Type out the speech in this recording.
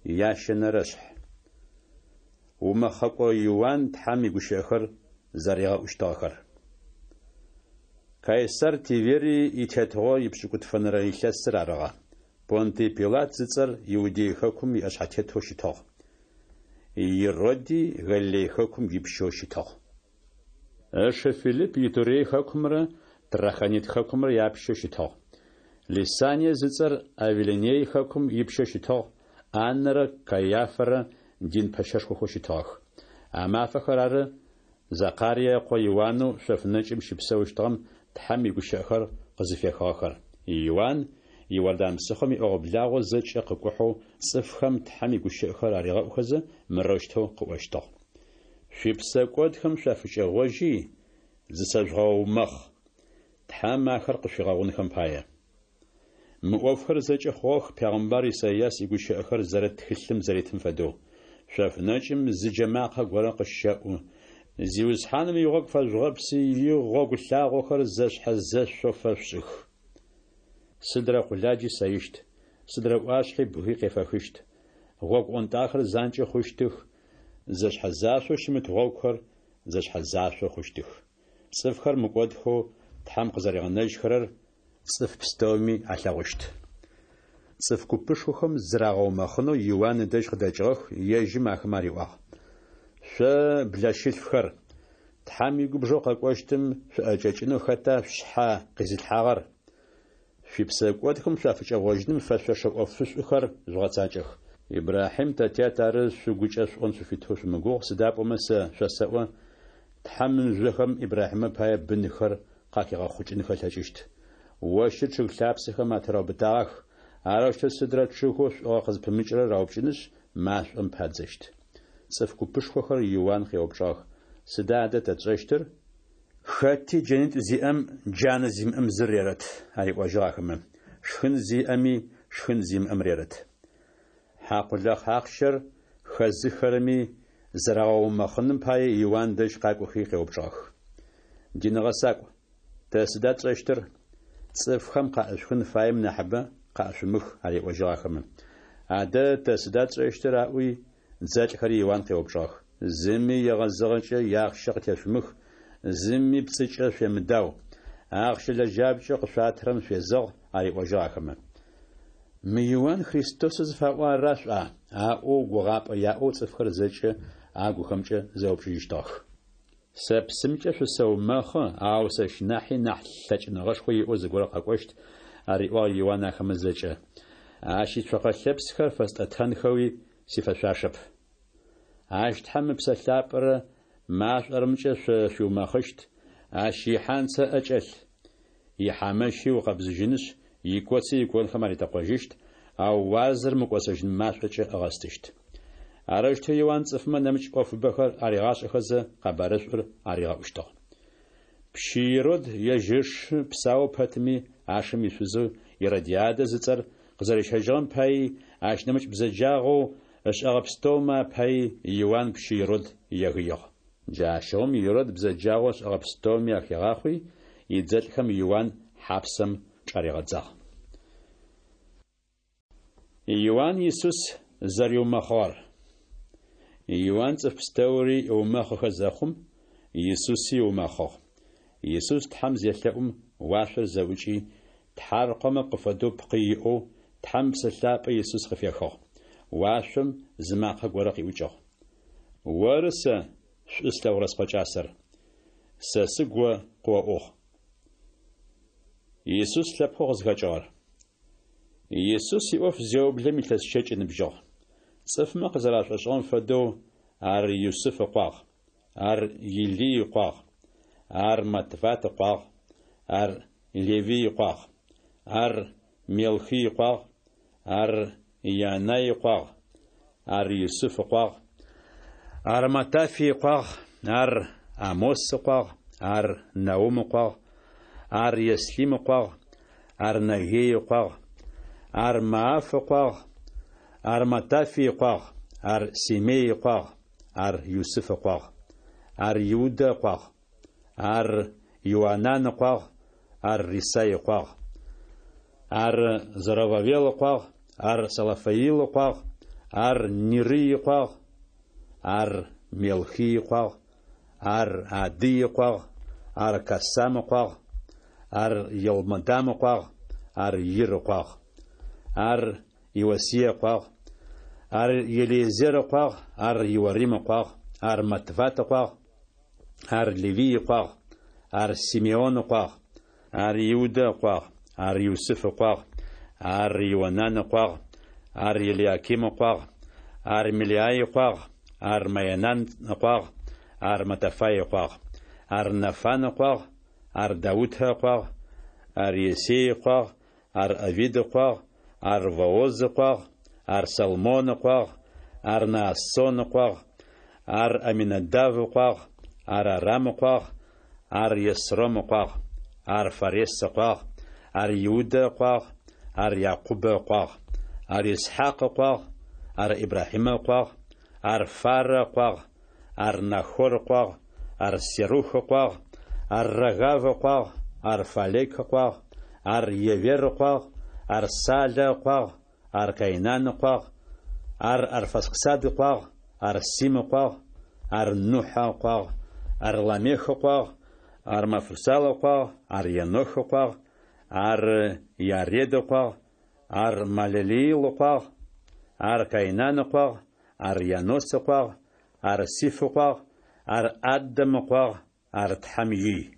Ящэнэрэшъхь. Умэхъэкӏо Иуан Тхьэм игущыӏэхэр зэригъэӏущтыгъэхэр. Кайсар Тиверий итетыгъо ипшӏыкӏутфэнэрэ илъэсыр арыгъэ. Понтий Пилат зыцӏэр Иудей хэкум иӏэшъхьэтетэу щытыгъ. Ироди Галилей хэкум ипщэу щытыгъ. Ышы Филипп Итурей хэкумрэ Трахонит хэкумрэ япщэу щытыгъ. Лисание зыцӏэр Авилиней хэкум ипщэу щытыгъ, Аннэрэ Кайафэрэ дин пэщэшхохэу щытыгъэх. А мафэхэр ары Закарие ыкъо Иуанэу шъоф нэкӏым щыпсэущтыгъэм Тхьэм игущыӏэхэр къызыфехыгъэхэр. Иуан Иордан псыхъом иӏэгъо-благъо зэкӏэ къыкӏухьэу цӏыфхэм Тхьэм игущыӏэхэр аригъэӏухэзэ, мырэущтэу къыӏощтыгъ. Шъуипсэкӏодхэм шъуафыкӏэгъожьи, зысэжъугъэумэхъ, Тхьэм ахэр къышъуфигъэгъунхэм пае. Мы ӏофхэр зэкӏэ хъугъэх пегъымбар Исайас игущыӏэхэр зэрыт тхылъым зэритым фэдэу. Шъоф нэкӏым зы джэ макъэ горэ къыщэӏу, Зиусхьаным игъогу фэжъугъэпси, игъогу лъагъохэр зэшъхьэ-зэшъоу фэшъушӏых. Сыдрэ къуладжи сэищт, сыдрэ ӏуашъхьи бгый къефэхыщт. Гъогу ӏонтӏахэр занкӏэ хъущтых, зэшъхьэ-зашъоу щымыт гъогухэр зэшъхьэ-зашъо хъущтых. Цӏыфхэр мыкӏодхэу Тхьэм къызэригъэнэжьхэрэр цӏыф пстэуми алъэгъущт. Цӏыф купышхохэм зырагъэумэхъынэу Иуан ыдэжь къыдэкӏыгъэх, ежьым ахэмэ ариӏуагъ: Шъо блэщылъфхэр, Тхьэм игубжэу къэкӏощтым шъуӏэкӏэкӏынэу хэта шъушъхьэ къизылъхьагъэр? Шъуипсэкӏодхэм шъуафыкӏэгъожьыным фэшъошэ ӏофышӏухэр жъугъэцакӏэх. Ибрахьим тэ тят ары шъугукӏэ шъуӏон шъуфитэу шъумыгугъ, сыда пӏомэ сэ шъосэӏо, Тхьэм мыжъохэм Ибрахьимэ пае бынхэр къахигъэхъукӏынхэ ылъэкӏыщт. Ощыр чъыг лъапсэхэм атыраубытагъэх, арэущтэу сыдрэ чъыгэу шӏугъэ къызпымыкӏырэр раупкӏынышъ, машӏом падзэщт. Цӏыф купышхохэр Иуан къеупчӏыгъэх, Сыда адэ тэ тшӏэщтыр? Хэти джэнитӏу зиӏэм джанэ зимыӏэм зыр рерэт, ариӏожьыгъ ахэмэ, шхын зиӏэми шхын зимыӏэм рерэт. Хьакъулахь ахъщэр хэзыххэрэми зырагъэумэхъыным пае Иуан дэжь къакӏохи къеупчӏыгъэх. Дин гъэсакӏу, тэ сыда тшӏэщтыр? Цӏыфхэм къаӏышъухын фаем нахьыбэ къаӏышъумых, ариӏожьыгъ ахэмэ. Адэ тэ сыда тшӏэщтыр? аӏуи, дзэлӏхэри Иуан къеупчӏыгъэх. Зыми егъэзыгъэкӏэ иахъщэ къытешъумых, зыми пцӏыкӏэ шъуемыдау. Ахъщэ лэжьапкӏэу къышъуатырэм шъуезэгъ, ариӏожьыгъ ахэмэ. Мы Иуан Христосэу зыфаӏо ара шъуӏуа? аӏоу гугъапӏэ яӏэу цӏыфхэр зэкӏэ агухэмкӏэ зэупчӏыжьыщтыгъэх. Сэ псымкӏэ шъусэумэхъы, ау сэщ нахьи нахь лъэкӏыныгъэшхо иӏэу зыгорэ къэкӏощт, ариӏуагъ Иуан ахэмэ зэкӏэ. Ащ ицокъэ лъэпсхэр фэстӏэтэнхэуи сифэшъуашэп. Ащ Тхьэм Ыпсэ Лъапӏэрэ машӏорэмкӏэ шъо шъуиумэхъыщт, ащ ихьанцэ ӏэкӏэлъ. Ихьамэщи ыукъэбзыжьынышъ, икоци иконхэм аритэкъожьыщт, ау уазэр мыкӏосэжьын машӏокӏэ ыгъэстыщт. Арэущтэу Иуан цӏыфмэ нэмыкӏ ӏофыбэхэр аригъашӏэхэзэ, къэбарышӏур аригъэӏущтыгъ. Пщы Ирод ежь ышы псау пэтми, ашым ишъузэу Иродиадэ зыцӏэр къызэрищэжьыгъэм паий, ащ нэмыкӏ бзэджагъэу ышӏэгъэ пстэумэ апаий Иуан пщы Ирод егыигъ. Джащыгъум Ирод бзэджагъэу ышӏэгъэ пстэуми ахигъахъуи, идзэлӏхэм Иуан хьапсэм чӏаригъэдзагъ. Иуан Исус зэриумэхъыгъэр. Иуан цӏыф пстэури ыумэхъыхэ зэхъум, Исуси ыумэхъыгъ. Исус Тхьэм зелъэӏум, уашъор зэӏукӏи, тхьаркъомэ къыфэдэу пкъы иӏэу, Тхьэм Ыпсэ Лъапӏэ Исус къыфехыгъ. Уашъом зы макъэ горэ къиӏукӏыгъ. Оры сэ шӏу слъэгъурэ Скъо кӏасэр. Сэ сыгу о къыоӏугъ. Исус лъэпкъэу къызхэкӏыгъэр. Исус иӏоф зеублэм илъэс щэкӏ ыныбжьыгъ. Цӏыфмэ къызэрашӏошӏыгъэм фэдэу, ар Юсыф ыкъуагъ, ар Илий ыкъуагъ, ар Матфат ыкъуагъ, ар Левий ыкъуагъ, ар Мелхий ыкъуагъ, ар Янай ыкъуагъ, ар Юсыф ыкъуагъ, ар Матафий ыкъуагъ, ар Амос ыкъуагъ, ар Наум ыкъуагъ, ар Еслим ыкъуагъ, ар Наггей ыкъуагъ, ар Мааф ыкъуагъ, ар Матафий ыкъуагъ, ар Семей ыкъуагъ, ар Юсыф ыкъуагъ, ар Иудэ ыкъуагъ, ар Иоанан ыкъуагъ, ар Рисай ыкъуагъ, ар Зоровавел ыкъуагъ, ар Салафаил ыкъуагъ, Ар Нирый ыкъуагъ, ар Мелхий ыкъуагъ, ар Адый ыкъуагъ, ар Кассам ыкъуагъ, ар Елмодам ыкъуагъ, ар Ир ыкъуагъ. Ар Иосие ыкъуагъ, ар Елиезер ыкъуагъ, ар Иорим ыкъуагъ, ар Матфат ыкъуагъ, ар Левый ыкъуагъ, ар Симеон ыкъуагъ, ар Иудэ ыкъуагъ, ар Юсыф ыкъуагъ, ар Ионан ыкъуагъ, ар Елиаким ыкъуагъ, ар Мелеай ыкъуагъ, ар Майнан ыкъуагъ, ар Маттафай ыкъуагъ, ар Нафан ыкъуагъ, ар Даутэ ыкъуагъ, ар Иессей ыкъуагъ, ар Овид ыкъуагъ, ар Вооз ыкъуагъ, ар Салмон ыкъуагъ, ар Наассон ыкъуагъ, ар Аминадав ыкъуагъ, ар Арам ыкъуагъ, ар Есром ыкъуагъ, ар Фарес ыкъуагъ, ар Иудэ ыкъуагъ, ар Якъубэ ыкъуагъ, ар Исхьакъ ыкъуагъ, ар Ибрахьимэ ыкъуагъ, ар Фарэ ыкъуагъ, ар Нахор ыкъуагъ, ар Серух ыкъуагъ, ар Рагав ыкъуагъ, ар Фалек ыкъуагъ, ар Евер ыкъуагъ, ар Салэ ыкъуагъ, ар Каинан ыкъуагъ, ар Арфаксад ыкъуагъ, ар Сим ыкъуагъ, ар Нухьэ ыкъуагъ, ар Ламех ыкъуагъ, ар Мафусал ыкъуагъ, ар Енох ыкъуагъ, ар Яред ыкъуагъ, ар Малелеил ыкъуагъ, ар Каинан ыкъуагъ, ар Енос ыкъуагъ, ар Сиф ыкъуагъ, ар Адэм ыкъуагъ, ар Тхьэм ий.